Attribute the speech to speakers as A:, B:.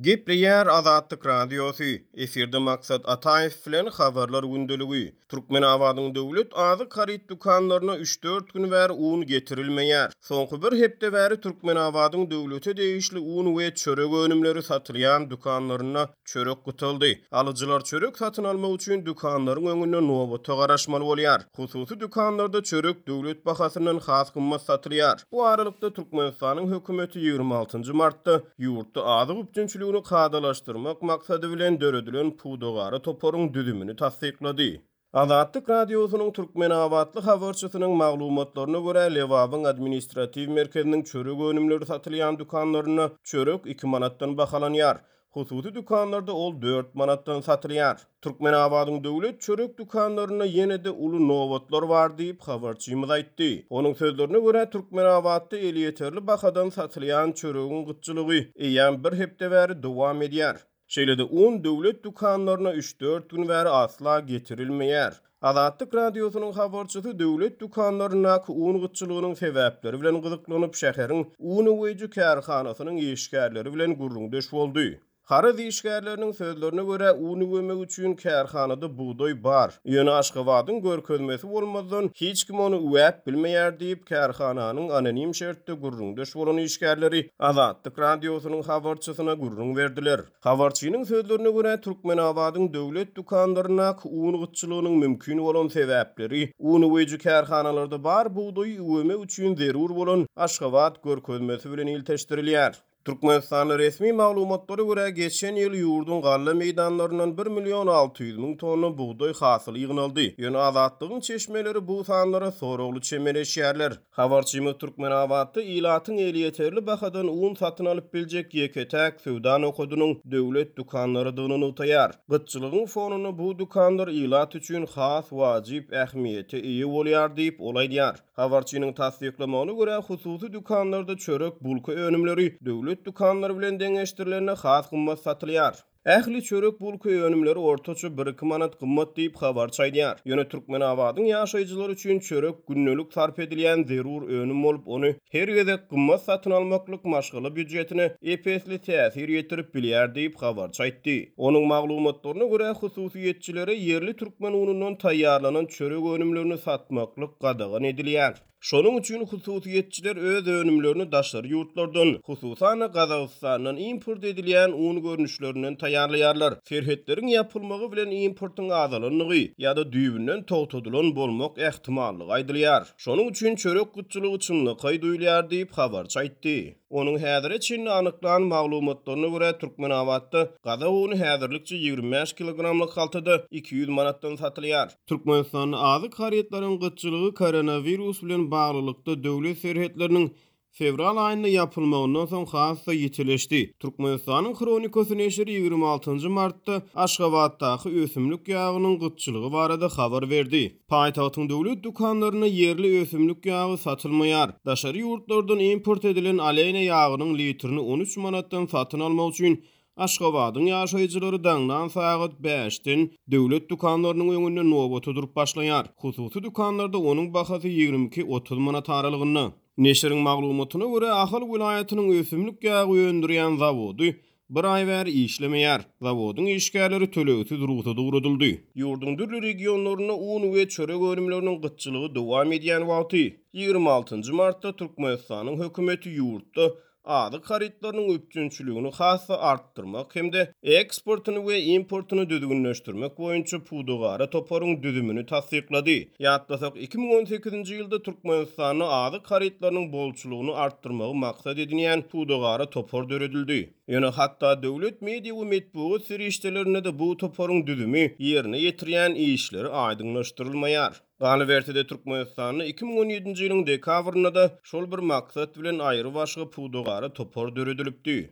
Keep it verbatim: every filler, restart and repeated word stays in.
A: Gepleýär Azatlyk Radiosy, efirde Maksat Ataýew bilen Habarlar gündeligi. Türkmenabadyň döwlet azyk haryt dükanlaryna üç-dört gün bäri un getirilmeýär. Soňky bir hepde bäri Türkmenabadyň döwlete degişli un we çörek önümleri satylýan dükanlarynda çörek gytaldy. Alyjylar çörek satyn almak üçin dükanlaryň öňünde nobata garaşmaly bolýar. Hususy dükanlarda çörek döwlet bahasyndan has gymmat satylýar. Bu aralykda Türkmenistanyň hökümeti ýigrimi altynjy martda ýurtda azyk üpjünçiligini kadalaşdyrmak maksady bilen döredilen pudagara toparyň düzümini tassyklady. Azatlyk Radiosynyň türkmenabatly habarçysynyň maglumatlaryna görä, Lebabyň administratiw merkeziniň çörek önümleri satylýan dükanlarynda çörek iki manatdan bahalanýar. Hususy dükanlarda ol dört manatdan satylýar. Türkmenabadyň döwlet çörek dükanlarynda ýene-de uly nobatlar bar diýip, habarçymyz aýtdy. Onuň sözlerine görä, Türkmenabatda elýeterli bahadan satylýan çöregiň gytçylygy eýýäm bir hepde bäri dowam edýär. Şeýle-de un döwlet dükanlaryna üç-dört gün bäri asla getirilmeýär. Azatlyk Radiosynyň habarçysy döwlet dükanlaryndaky un gytçylygynyň sebäpleri bilen gyzyklanyp, şäheriň un üweýji kärhanasynyň işgärleri bilen gürrüňdeş boldy. Haryt işgärleriniň sözlerine görä, un üwemek üçin kärhanada bugdaý bar. Ýöne Aşgabadyň görkezmesi bolmazdan, hiç kim ony üwäp bilmeýär diýip, kärhananyň anonim şertde gürrüňdeş bolan işgärleri Azatlyk Radiosynyň habarçysyna gürrüň berdiler. Habarçynyň sözlerine görä, Türkmenabadyň döwlet dükanlaryndaky un gytçylygynyň mümkin bolan sebäpleri un üweýji kärhanalarda bar bugdaýy üwemek üçin zerur bolan Aşgabat görkezmesi bilen ilteşdirilýär. Türkmenistanda resmi maglumatlara görä, geçen ýyl ýurduň galla meýdanlaryndan bir million alty ýüz müň tonna bugdaý hasyly ýygnaldy. Ýöne Azatlygyň çeşmeleri bu sanlara soragly çemeleşýärler. Habarçymyz Türkmenabatda ilatyň elýeterli bahadan un satyn alyp biljek ýeke-täk söwda nokadynyň döwlet dükanlarydygyny nygtaýar. Gytçylygyň fonunda bu dükanlar ilat üçin has wajyp ähmiýete eýe bolýar diýip, ol aýdýar. Habarçynyň tassyklamagyna görä, hususy dükanlarda çörek, bulka önümleri döwlet dükanlary bilen deňeşdirilende has gymmat satylýar. Ähli çörek, bulka önümleri ortaça bir-iki manat gymmat diýip, habarçy aýdýar. Ýöne Türkmenabadyň ýaşaýjylary üçin çörek gündelik sarp edilýän zerur önüm bolup, ony her gezek gymmat satyn almaklyk maşgala býujetine ep-esli täsir ýetirip bilýär diýip, habarçy aýtdy. Onuň maglumatlaryna görä, hususyýetçilere ýerli türkmen unundan taýýarlanan çörek önümlerini satmaklyk gadagan edilýär. Şonuň üçin hususyýetçiler öz önümlerini daşary ýurtlardan, hususan-da Gazagystandan import edilýän un görnüşlerinden taýýarlaýarlar. Serhetleriň ýapylmagy bilen importyň azalandygy ýa-da düýbünden togtadylan bolmak ähtimallygy aýdylýar. Şonuň üçin çörek gytçylygy çynlakaý duýulýar diýip, habarçy aýtdy. Onuň häzire çenli anyklan maglumatlaryna görä, Türkmenabatda gazak uny häzirlikçe ýigrimi bäş kilogramlyk haltada iki ýüz manatdan satylýar. Türkmenistanda azyk harytlaryň gytçylygy koronawirus bilen baglylykda döwlet serhetleriniň fewral aýynda ýapylmagyndan soň has-da ýitileşdi. Türkmenistanyň Hronikasy neşiri ýigrimi altynjy martda Aşgabatdaky ösümlik ýagynyň gytçylygy barada habar berdi. Paýtagtyň döwlet dükanlarynda ýerli ösümlik ýagy satylmaýar. Daşary ýurtlardan import edilen alena ýagynyň litrini on üç manatdan satyn almak üçin Aşgabadyň ýaşaýjylary daňdan sagat bäşden döwlet dükanlarynyň öňünde nobata durup başlaýar. Hususy dükanlarda onuň bahasy ýigrimi iki otuz manat aralygynda. Neşiriň maglumatyna görä, Ahal welaýatynyň ösümlik ýagy öndürýän zawody bir aý bäri işlemeýär. Zawodyň işgärleri tölegsiz rugsada ugradyldy. Ýurduň dürli regionlarynda un we çörek önümleriniň gytçylygy dowam edýän wagty, ýigrimi altynjy martda Türkmenistanyň hökümeti ýurtda azyk harytlarynyň üpjünçiligini has-da artdyrmak hem-de eksportyny we importyny düzgünleşdirmek boýunça pudagara toparyň düzümini tassyklady. Ýatlasak, iki müň on sekizinji ýylda Türkmenistanda azyk harytlarynyň bolçulygyny artdyrmagy maksat edinýän pudagara topar döredildi. Ýöne hatda döwlet media we metbugat serişdelerinde-de bu toparyň düzümi, ýerine ýetirýän işleri aýdyňlaşdyrylmaýar. Galyberse-de, Türkmenistanda iki müň on ýedinji ýylyň dekabrynda-da şol bir maksat bilen aýry başga pudagara topar döredilipdi.